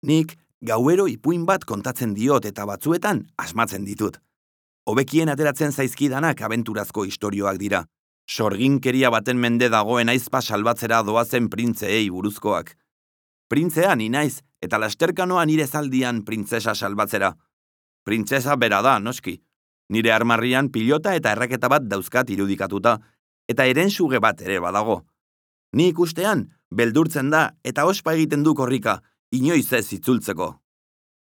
Nik gauero ipuin bat kontatzen diot eta batzuetan asmatzen ditut. Hobekien ateratzen zaizkidanak abenturazko istorioak dira. Sorginkeria baten mende dagoen aizpa salbatzera doazen printzeei buruzkoak. Printzea ni naiz eta lasterkanoa nire zaldian printzesa salbatzera. Printzesa bera da, noski. Nire armarrian pilota eta erraketa bat dauzkat irudikatuta, eta herensuge bat ere badago. Ni ikustean, beldurtzen da eta ospa egiten du korrika, inoiz ez itzultzeko.